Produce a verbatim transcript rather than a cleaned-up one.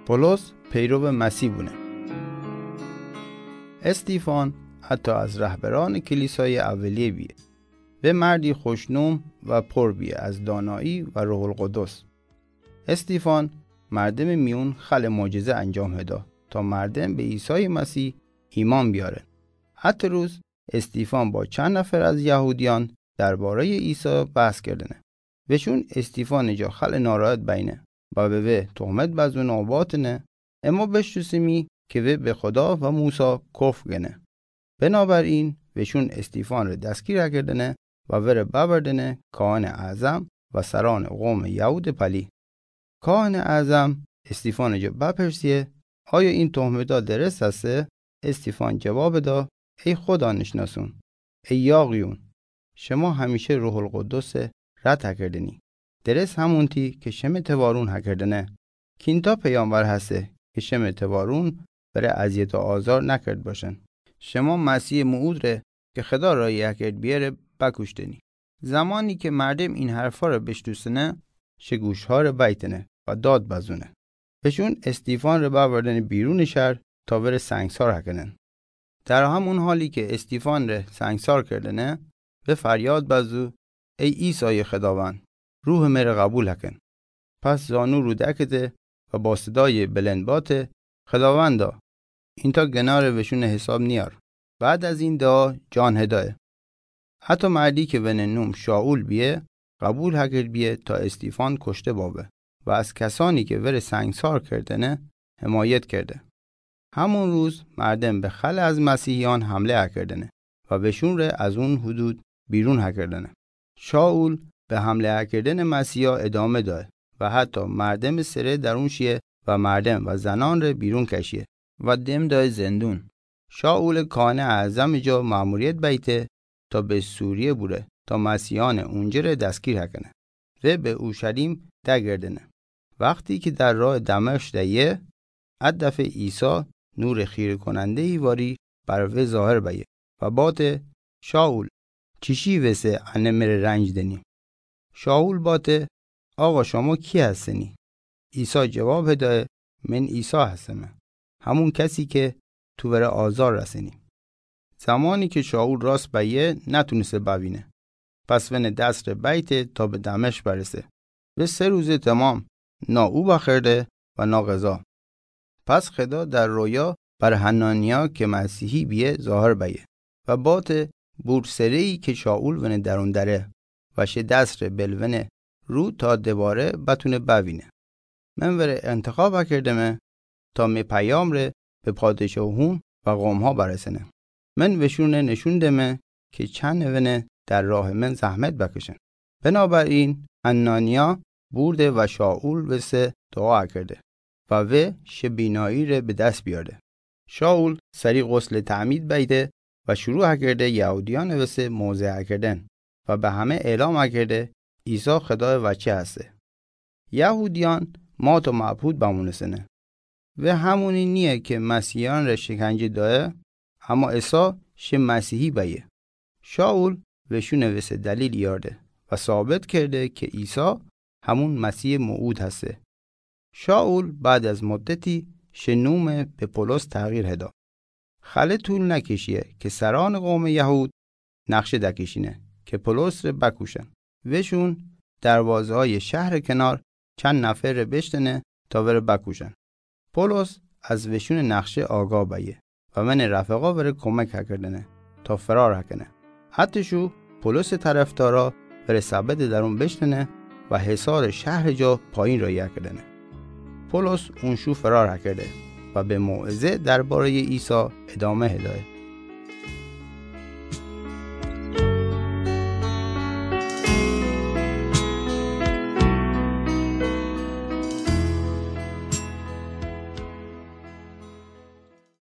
پولس پیرو مسیح بونه. استیفان حتی از رهبران کلیسای اولیه بیه. وی مردی خوشنام و پر بیه از دانایی و روح القدس. استیفان مردم میون خل معجزه انجام هدا تا مردم به عیسی مسیح ایمان بیاره. حتی روز استیفان با چند نفر از یهودیان دربارهٔ عیسی بحث کردنه. وشون استیفان جا خل ناراحت بینه و به وی تهمت بزنه و باتنه، اما بشتوسیمی که وی به خدا و موسی کفر گنه. بنابراین وشون استیفان ره دستگیر کردنه و وره ببردنه کاهن اعظم و سران قوم یهود پلی. کاهن اعظم استیفان جا بپرسیه: آیا این تهمتا درست هسته؟ استیفان جواب دا: ای خدا نشناسون، ای یاغیون، شما همیشه روح القدس رد هکردنی. درست همونتی که شمه توارون هکردنه. کینتا پیامبر هسته که شمه توارون بره اذیت و آزار نکرد باشن. شما مسیح موعود ره که خدا رای هکرد بیه ره بکشتنی. زمانی که مردم این حرفا ره بشتوسنه، شه گوشها ره بیتنه و داد بزونه. وشون استیفان ره ببردنه بیرون شهر تا وره سنگسار هکنن. در همون حالی که استیفان ره سنگسار کردنه، وی فریاد بزو: ای عیسای خداوند، روح مره قبول هکن. پس زانو رو دکته و با صدای بلند باته: خداوندا، اینتا گناه ره وشون حساب نیار. بعد از این دعا جان هدایه. حتی مردی که ونه نوم شائول بیه، قبول هکرد بیه تا استیفان کشته باوه و از کسانی که وره سنگسار کردنه حمایت کرده. همون روز مردم به خل از مسیحیان حمله هکردنه و وشون ره از اون حدود بیرون هکردنه. شائول به حمله هکردن مسیحیا ادامه دایه و حتی مردم سره درون شیه و مردم و زنان ره بیرون کشیه و دم دایه زندون. شائول کاهن اعظم جا مأموریت بیته تا به سوریه بوره تا مسیحیان اونجه ره دستگیر هکنه. وی به اورشلیم دگردنه. وقتی که در راه دمشق دهیه، ا دفعه عیسی نور خیره کننده‌ای واری بر وی ظاهر بیه و باته: شائول، چیشی وسه انه مره رنج دنی؟ شائول باته: آقا، شما کی هستنی؟ عیسی جواب هدایه: من عیسی هستمه، همون کسی که تو وره آزار رسنی. زمانی که شائول راست بیه، نتونسته بوینه. پس ونه دست ره بیته تا به دمشق برسه. و سه روز تمام نا او بخورده و نا غذا. پس خدا در رویا بر حنانیا که مسیحی بیه ظاهر بیه و باته: بور سره‌ای که شائول ونه درون دره و شه دست ره بل ونه رو تا دوباره بتونه بوینه. من وره انتخاب کردمه تا می پیام ره به پادشاهون و قوم‌ها برسنه. من وشونه نشون دمه که چنه ونه در راه من زحمت بکشن. بنابراین حنانیا بورده و شائول وسه دعا کرده و وی شه بینایی ره به دست بیارده. شائول سری غسل تعمید بیده و شروع کرده یهودیان وسه موعظه کردن و به همه اعلام کرده عیسی خدای وچه هسته. یهودیان مات و مبهوت بمونستنه. و همونی نیه که مسیحیان ره شکنجه دایه، اما عیسی شه مسیحی بیه. شائول وشونه وسه دلیل یارده و ثابت کرده که عیسی همون مسیح موعود هسته. شائول بعد از مدتی شه نومه به پولس تغییر هدا. خله طول نکشیه که سران قوم یهود نقشه دکشینه که پولس ره بکوشن. وشون دروازه‌های شهر کنار چند نفر ره بشتنه تا وره بکوشن. پولس از وشون نقشه آگاه بیه و ونه رفقا وره کمک هکردنه تا فرار هکنه. حتی شو پولس طرفدارا وره سبد درون بشتنه و حصار شهر جا پایین رایی هکردنه. پولس اون شو فرار هکرده و به موعظه دربارهٔ عیسی ادامه هدایه.